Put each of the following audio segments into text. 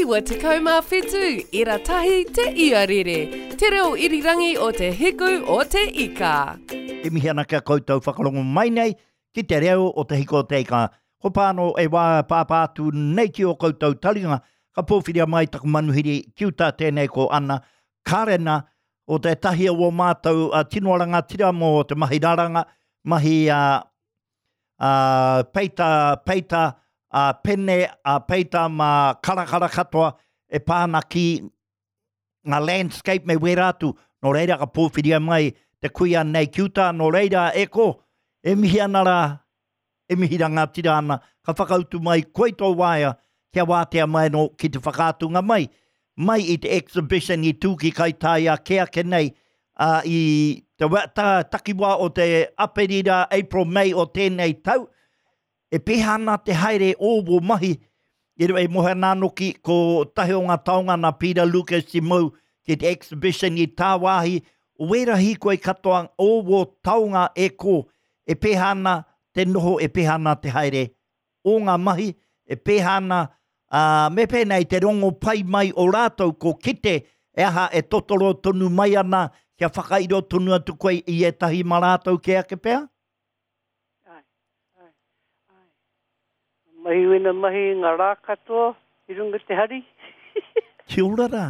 97 ira tahi te iarere, te reo irirangi o te hiku o te ika. E mihi ana ki a koutou whakarongo mai nei ki te reo o te hiku o te ika. Ko pāno e wā pāpā atu nei ki o koutou taringa, ka pōwhiria mai taku manuhiri ki uta tēnei ko Ana Karena o tētahi o ō mātou tino rangatira mō te mahi raranga, mahi a ā, peita, peita, ā, pene, ā, peita mā karakara katoa e pā ana ki ngā landscape me wērā atu. Nō reira ka pōwhiria mai te kuia nei ki uta, nō reira e ko, e mihi ana rā, e mihi rangatira ana, ka whakautu mai koe tō waea kia wātea mai anō ki te whakaatunga mai mai i te exhibition i tū ki Kaitāia kē ake nei, ā, i te ta, takiwā o te Aperira, April, May o tēnei tau, e pēhea ana te haere o wō mahi, e, e mohe ana anō ki, ko tahi o ngā taonga nā Peter Lucas i mau ki te exhibition i tāwāhi, o wērā hīkoi katoa o wō taonga e kō, e pēhea ana te noho, e pēhea ana te haere o ngā mahi e pēhea ana, ā, me pēnei te rongo pai mai o rātou ko kite e aha e totoro tonu mai ana kia whakairo tonu atu koe i ētahi mā rātou kē ake pea? Āe, āe, āe. Mahi wena mahi i ngā rā katoa i runga te hari. Kia ora rā.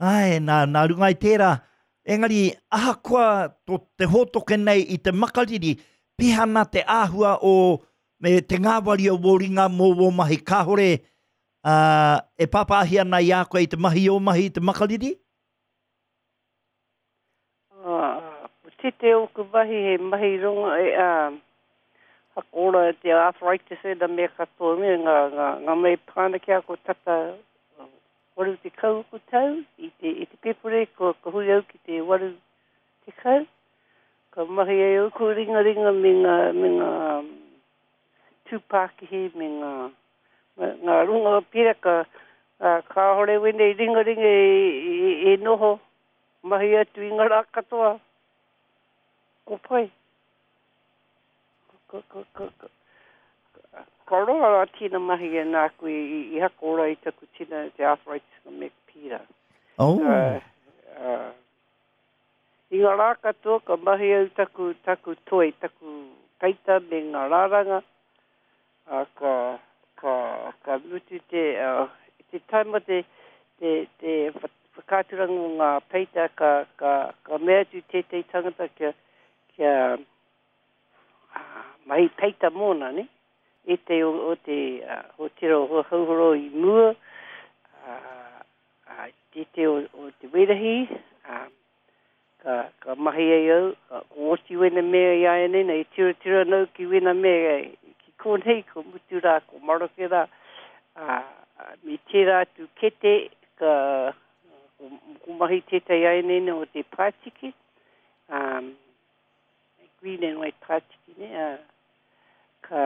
Āe, nā, nā runga i tērā. Engari, ahakoa tō te hōtoke nei i te makariri, pēhea ana te āhua o, me te ngāwari o wō ringa mō wō mahi? Kāore, ā, e pāpāhi ana i a koe i te mahi ō mahi i te makariri? Ā, ko tete ōku mahi he mahi runga e, ā, whakaora i te arthritis ēnā mea katoa me ngā, ngā, ngā mea e pā ana ki a koe tata 80 ōku tau i te, i te Pepure kua, kua hui au ki te 80. Ka mahi ai ōku ringaringa me ngā, me ngā tūpākihi me ngā, ngā runga pera ka, ā, kāore wēnei ringaringa e, e, e noho. Mahi atu i nga ra katoa. Ko pai. Ka, ka, ka, ka, ka roa ra tina mahi e nāku i, i, i hakora i taku tina te arthritis nga me pīra. Oh. Uh, uh, I nga rā katoa ka mahi au taku, taku toi, taku peita me nga raranga, a, ka, ka, ka mutu te, uh, te taima te, te, te whakaaturanga o ngā peita ka, ka, ka mea atu tētehi tangata kia, kia uh, mahi peita mōna, ne? Ētehi o, o te uh, hōtera o Hauhoro i mua, uh, uh, tētehi o, o te Werahi, uh, Ka, ka mahi ai au, ka, ko oti wena mea i āianei nei, e tirotiro ana au ki wena mea ki konei, ko mutu rā, ko maroke rā, ā, me tērā atu kete, ka, ko, ko mahi tētahi āianei nei o te pātiki, ā, green and white pātiki, ne, ā, ka,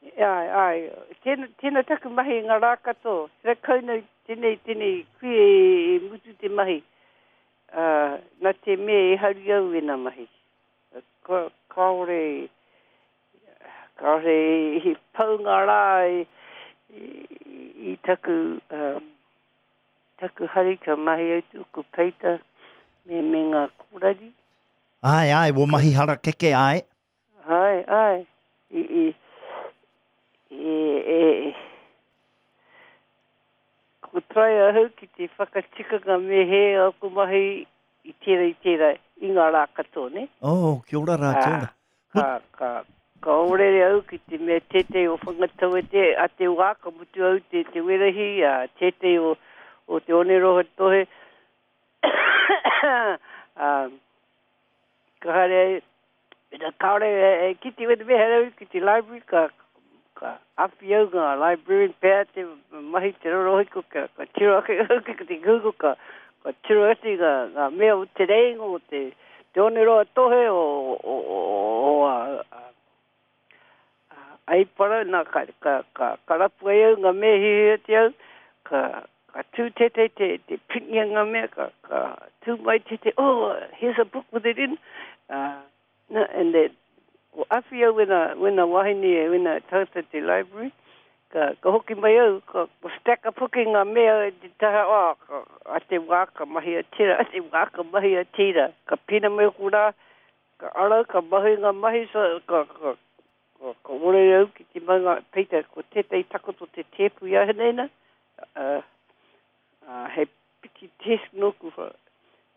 Āe, āe. Tēnā, tēnā taku mahi i ngā rā katoa. Tēnā kau nei, tēnei, tēnei kuia e, e mutu te mahi. Ā, nā te mea e hari au ēnā mahi. Ka, kāore, kāore i pau ngā rā i, i, i taku, um, taku hari ka mahi au tōku peita me, me ngā kōrari. Āe, āe, wō mahi harakeke, āe. Āe, āe. I, i, i, e, ko try ahau ki te whakatika ngā me he aku mahi i tērā, i tērā, i ngā rā katoa, nē? Oh, kia ora rā, kia ora. Ka, ka, ka orere au ki te mea tētehi o Whangatauete a te wā, ka mutu au te, te werahi, a tētehi o, o te Oneroa Tohe, ā, Ka haere ai, mena kāore e kite wena me haere au ki te library, ka, ka awhi au ngā librarian pea te mahi te rorohiko, ka, ka tiro ake au ki te Google, ka, ka tiro atu ngā, ngā mea o te reinga, o te, te oneroa tohe, o, o, o, o, a, a, Aipara, nā, ka, ka, ka, ka rapu ai au ngā mea hiahia te au, ka, ka tū tētahi te, te piringia ngā mea, ka, ka tū mai tētahi, oh, here's a book with it in. Uh, na, and that, ko awhi au wena, wena wahine, wena tangata te library, Ka, ka hoki mai au, ka, ka stack up hoki ngā mea i te taha, oh, ka, a te wā ka mahi a tira, a te wā ka mahi a tira. Ka pina mai oku rā, ka ara, ka mahi ngā mahi, so, ka, ka, ka, ka ore au ki te mau ngā peita, ko tētahi takoto te tēpu i aheneina, uh, uh, hei piki desk nōku,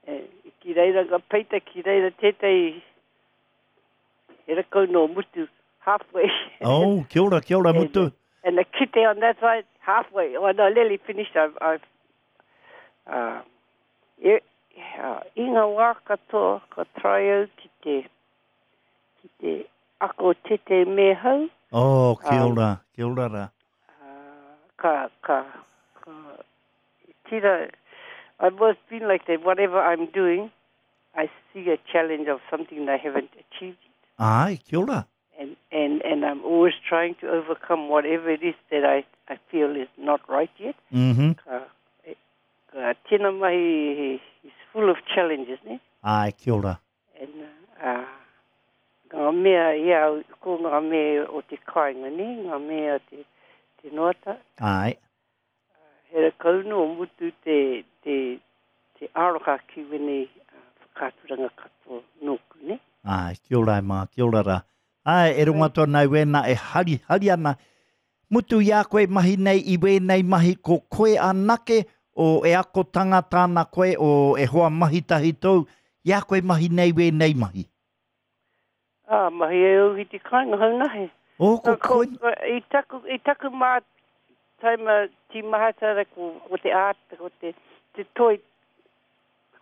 e, ki reira ngā peita, ki reira tētahi He rakau no Mutu, halfway. Oh, kia ora, kia ora, Mutu. And the kite on that side, halfway. Oh, no, nearly finished. I've, I've, uh, e, uh, i ngā wā katoa, ka try au ki te, ki te ako tete me hau. Oh, kia um, ora, kia ora rā. Uh, ka, ka, ka, tira, I've always been like that, whatever I'm doing, I see a challenge of something that I haven't achieved yet. Ai, kia ora. And, and, and I'm always trying to overcome whatever it is that I, I feel is not right yet. Mm -hmm. Ka, e, ka tēnā mahi is full of challenges, ne? Ai, kia ora. And, uh, ngā mea, ia, ko ngā mea o te kāinga, ne? Ngā mea te, te noata. Ai. He rakau no mutu te, te, te aroha ki wenei whakaaturanga katoa nōku, ne? Āe, kia ora e mā, kia ora rā. Āe, e rongo atu ana i wēnā e harihari ana. Mutu i a koe mahi nei i wēnei mahi ko koe anake o e ako tangata ana koe o e hoa mahi tahi tou i a koe mahi nei wēnei mahi? Ā, mahi ai au ki te kāinga haunahe. Oh, ko koe. I taku, i taku mā taima tīmahatara ko, ko te art, ko te, te toi,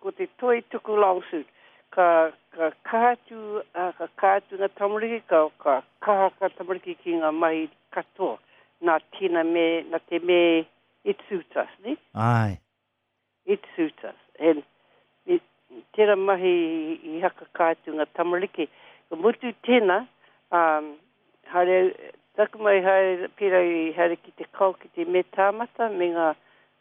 ko te toi tuku long suit. Ka, ka kaha atu, ā, ka kaha atu ngā tamariki, ka, ka kaha kā tamariki ki ngā mahi katoa. Nā tēnā me, nā te me it suits us, ne? Āe. It suits us. And it, tera mahi i hakaka atu nga tamariki. Ka mutu tena, um, haere, taku mai haere, pera i haere ki te kao ki te me tāmata me nga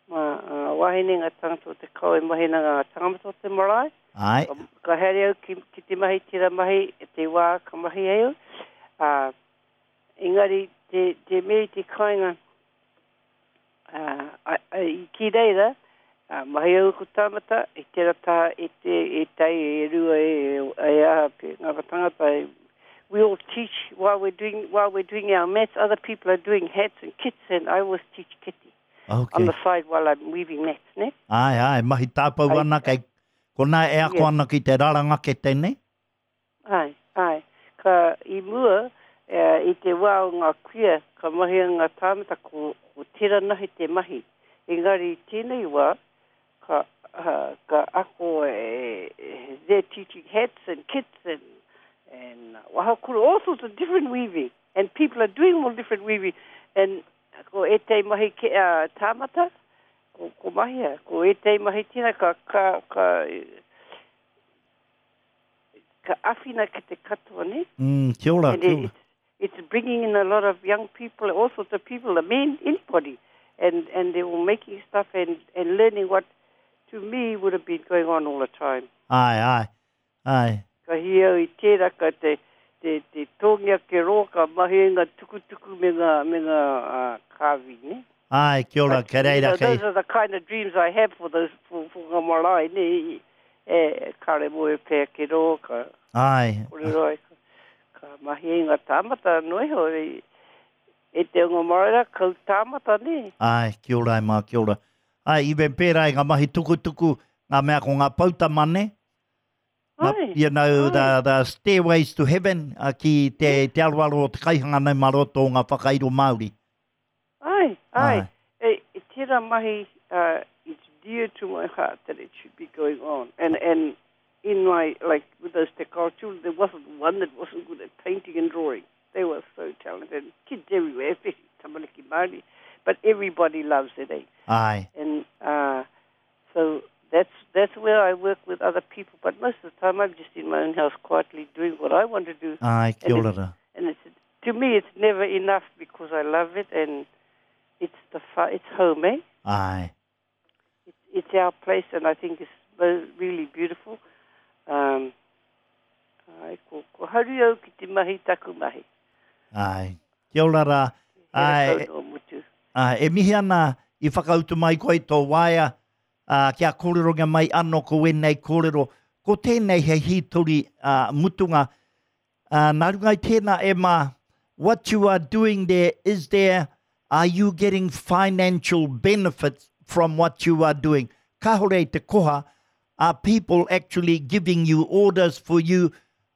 ma, uh, wahine nga tangata o te kao e mahi ana nga tangata o te marae. Ae. Ka, ka haere au ki, ki te mahi tera mahi, te wā ka mahi ai au. Uh, engari te, te me i te kainga, Ā, i ki reira, mahi au ko tāmata, i tera taha e te, e tai, e rua, e, e aha, pe, ngā tangata, we all teach while we're doing, while we're doing our mats, other people are doing hats and kits, and I always teach kete. Okay. On the side while I'm weaving mats, ne? Āe, āe, mahi tāpau ana, kei konā e ako ana ki te raranga kete, ne? Āe, āe. Ka, i mua, i te wā o ngā kuia, ka mahia ngā tāngata ko, ko tērā nahi te mahi. Engari i tēnei wā, ka, ka ako e, they're teaching hats and kits and, and wahakura, all sorts of different weaving. And people are doing all different weaving. And ko ētahi mahi ke, uh, tāmata, ko, ko mahia. Ko ētahi mahi tēnā ka, ka, ka, Ka awhina ki te katoa, ne? Mm, kia ora, And kia ora. it's, it's bringing in a lot of young people, all sorts of people, the men, anybody. And, and they're all making stuff and, and learning what, to me, would have been going on all the time. Ae, ae, ae. Ka hī au i tērā, ka te, te, te tōngia ke rō, ka mahi ai ngā tukutuku me ngā, me ngā uh, kāwi, ne? Ae, kia ora, But, kei you reira, know, kei... those are the kind of dreams I have for those, for, for ngā marae, ne? E, kare moe pea ki rō, ka Āe. kōrero ai, ka, ka mahi ai ngā tāmata anō iho, e, e te ongo marae rā, kau tāmata, nē? Āe, kia ora e mā, kia ora. Āe, even pērā i ngā mahi tukutuku, ngā mea ko ngā poutama, nē? Ngā, Āe, you know, āe. the, the stairways to heaven, ki te, te aroaro o te kaihanga nei mā roto o ngā whakairo Māori. Āe, āe. Āe. E, e tērā mahi, uh, it's dear to my heart that it should be going on. And, and in my, like, with those Te Kao children, there wasn't one that wasn't good at painting and drawing. They were so talented. Kids everywhere, especially tamariki Māori. But everybody loves it, eh? Āe. And uh, so that's, that's where I work with other people. But most of the time I'm just in my own house quietly doing what I want to do. Āe, kia And ora it's, rā. and it's, to me, it's never enough because I love it and it's the it's home, eh? Āe. It's, it's our place and I think it's really beautiful. Um, ai, ko, ko haru au ki te mahi taku mahi. Āe. Kia ora rā. He Āe. rakau no mutu. Ā, e mihi ana i whakautu mai koe i tō waea, ā, kia kōrerongia mai anō ko ēnei kōrero. Ko tēnei hei hītori, ā, mutunga. Ā, nā runga i tēnā, e Mā, what you are doing there, is there, are you getting financial benefits from what you are doing? Kāore i te koha, are people actually giving you orders for you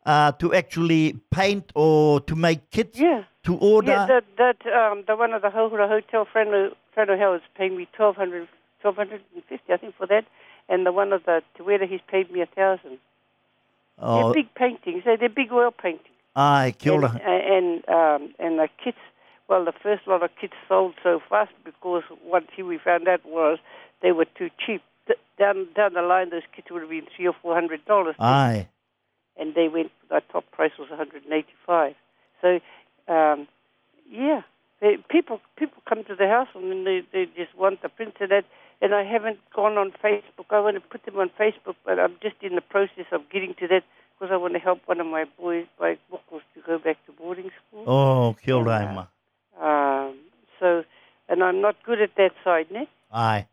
uh, to actually paint or to make kits yeah. to order? Yeah, that, that, um, the one at the Hauhura Hotel, Frano, Frano Hill, is paying me 1200 1250 I think, for that. And the one of the Te Wera, he's paid me a 1,000. Oh. They're big paintings. They're, they're big oil paintings. Ai, kia ora. And, and, um, and the kits, well, the first lot of kits sold so fast because what he, we found out was they were too cheap. Down, down the line, those kits would have been three or four hundred dollars. Aye. And they went, the top price was 185. So, um, yeah, they, people people come to the house and then they, they just want the prints and that. And I haven't gone on Facebook. I want to put them on Facebook, but I'm just in the process of getting to that because I want to help one of my boys, my mokos, to go back to boarding school. Oh, kia ora, Emma. Um, so, and I'm not good at that side, ne? Aye.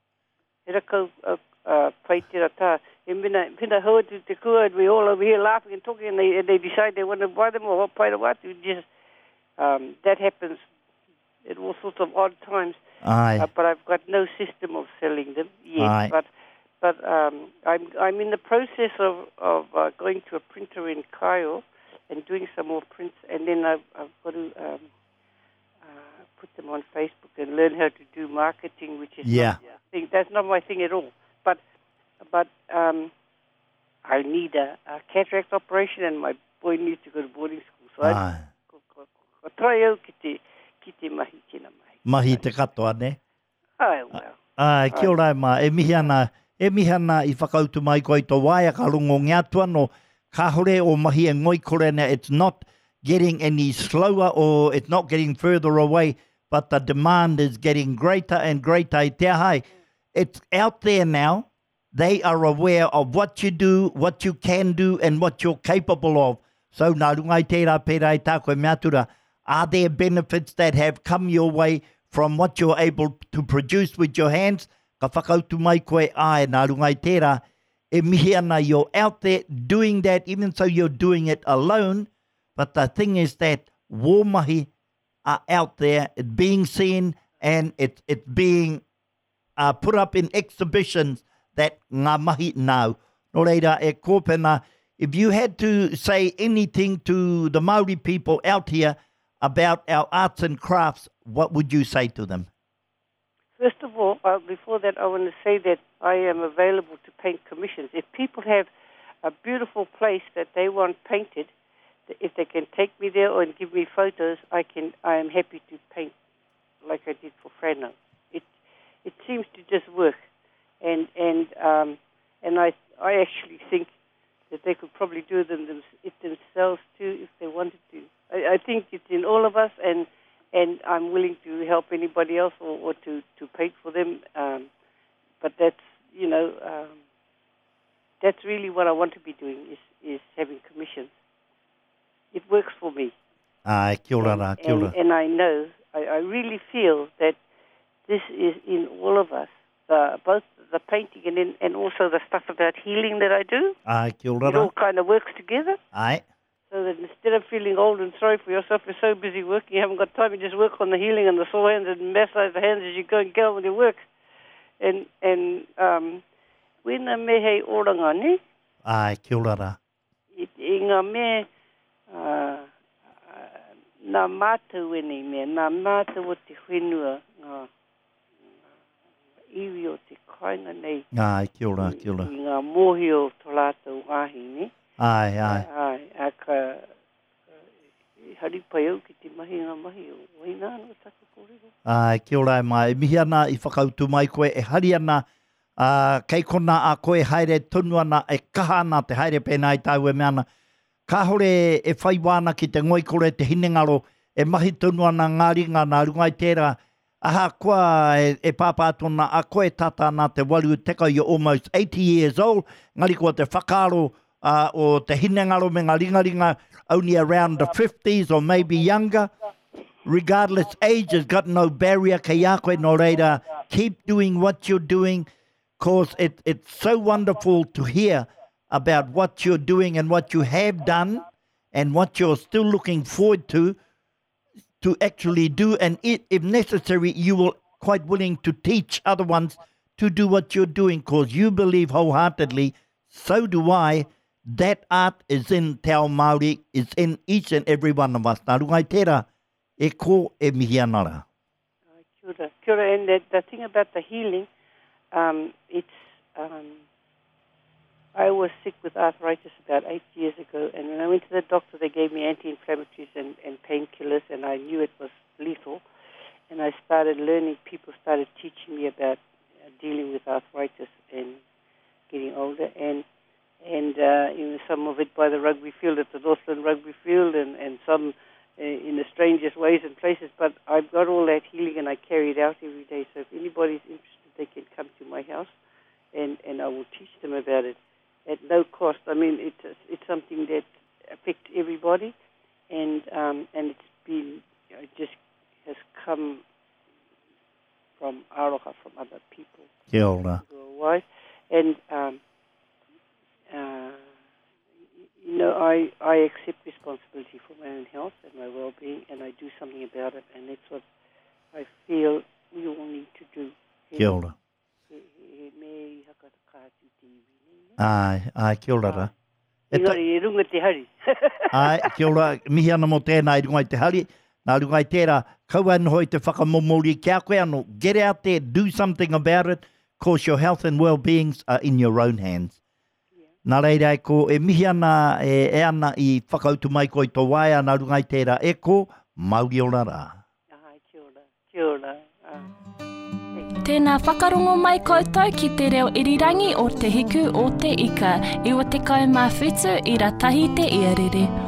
He rakau uh, pai tera tā. E mena, mena hau atu te kua, and we all over here laughing and talking, and they, and they decide they want to buy them or pai rawa atu. Just, um, that happens at all sorts of odd times. Aye. Uh, but I've got no system of selling them yet. Aye. But, but um, I'm, I'm in the process of, of uh, going to a printer in Cairo and doing some more prints, and then I've, I've got to um, uh, put them on Facebook and learn how to do marketing, which is yeah. not thing. That's not my thing at all. But but um, I need a, a cataract operation, and my boy needs to go to boarding school. So I ko, ko, ko try au ki te, ki te mahi tēnā mahi. Mahi te katoa, ne? Ai, well. Ai, kia ora e mā, e mihi ana, e mihi ana i whakautu mai koe i tō waea ka rongongia atu anō, kāore o mahi e ngoikore ana, it's not getting any slower or it's not getting further away, but the demand is getting greater and greater i te aha ai. It's out there now, they are aware of what you do, what you can do and what you're capable of. So nā runga i tērā pērā i tā koe mea atu rā, are there benefits that have come your way from what you're able to produce with your hands? Ka whakautu mai koe, āe, nā runga i tērā, e mihi ana you're out there doing that, even so you're doing it alone, but the thing is that wō mahi are out there, it's being seen and it's, it's being uh, put up in exhibitions that ngā mahi nāu. Nō reira, e Kōpena, if you had to say anything to the Māori people out here about our arts and crafts, what would you say to them? First of all, uh, before that, I want to say that I am available to paint commissions. If people have a beautiful place that they want painted, if they can take me there or and give me photos, I can. I am happy to paint like I did for Frano. It it seems to just work, and and um, and I I actually think that they could probably do them, them it themselves too if they wanted to. I, I think it's in all of us, and and I'm willing to help anybody else or, or to to paint for them. Um, but that's you know um, that's really what I want to be doing is is having commissions. It works for me. Ai, kia ora rā, kia ora. And, and I know, I, I really feel that this is in all of us, the, both the painting and, in, and also the stuff about healing that I do. Ai, kia ora It all kind of works together. Ai. So that instead of feeling old and sorry for yourself, you're so busy working, you haven't got time, you just work on the healing and the sore hands and massage the hands as you go and get on with your work. And, and um, wena me hei oranga, ne? Ai, kia ora rā. I, i ngā mea, uh, nā mātou ēnei mea, nā mātou o te whenua, ngā, ngā iwi o te kāinga nei. Ai, kia ora, kia ora. I, i ngā mōhio o tō rātou wāhi, ne? Ai, ai. Ai, a ka, i hari pai au ki te mahi ngā mahi o waina anō taku kōrero. Ai, kia ora e Mai. E mihi ana i whakautu mai koe, e hari ana Ā, kei konā a koe haere tonu ana, e kaha ana te haere pēnā i tāu e mea ana. Kāore e whai wā ana ki te ngoikore, te hinengaro, e mahi tonu ana ngā ringa nā runga i tērā, ahakoa e, e pāpā atu ana a koe tata ana te 80, you're almost 80 years old, engari ko te whakaaro uh, o te hinengaro me ngā ringaringa only around the 50s or maybe younger. Regardless, age has got no barrier kei a koe, nō reira, keep doing what you're doing, cause it, it's so wonderful to hear about what you're doing and what you have done and what you're still looking forward to, to actually do. And it, if necessary, you will quite willing to teach other ones to do what you're doing because you believe wholeheartedly, so do I, that art is in Te Ao Māori, is in each and every one of us. Nā runga i tērā, e ko e mihi ana rā. Kia ora. Kia ora. And the, the thing about the healing, um, it's... Um, I was sick with arthritis about eight years ago, and when I went to the doctor, they gave me anti-inflammatories and, and painkillers, and I knew it was lethal. And I started learning, people started teaching me about uh, dealing with arthritis and getting older, and and uh, you know, some of it by the rugby field at the Northland Rugby Field, and, and some uh, in the strangest ways and places. But I've got all that healing, and I carry it out every day. So if anybody's interested, they can come to my house, and, and I will teach them about it at no cost. I mean, it's it's something that affects everybody, and um, and it's been it just has come from aroha from other people. Kia ora. Who are wise. And um, uh, you know, I, I accept responsibility for my own health and my well-being, and I do something about it, and that's what I feel we all need to do. Kia ora. He, he, he me i hakatakaatu te iwi nei, ne? Ai, ai, kia ora ra. E ta... Engari, e runga te hari. ai, kia ora, mihi ana mō tēnā i runga i te hari. Nā runga i tērā, kaua e noho i te whakamomori ki a koe anō. Get out there, do something about it, cause your health and well-beings are in your own hands. Nā reira e ko, e mihi ana, e, e ana i whakautu mai koe i tō waea, nā runga i tērā e ko, mauri ora rā. Ai, kia ora, kia ora. Ah. Tēnā whakarongo mai koutou ki te reo irirangi o Te Hiku o Te Ika, 97 ira tahi te iarere.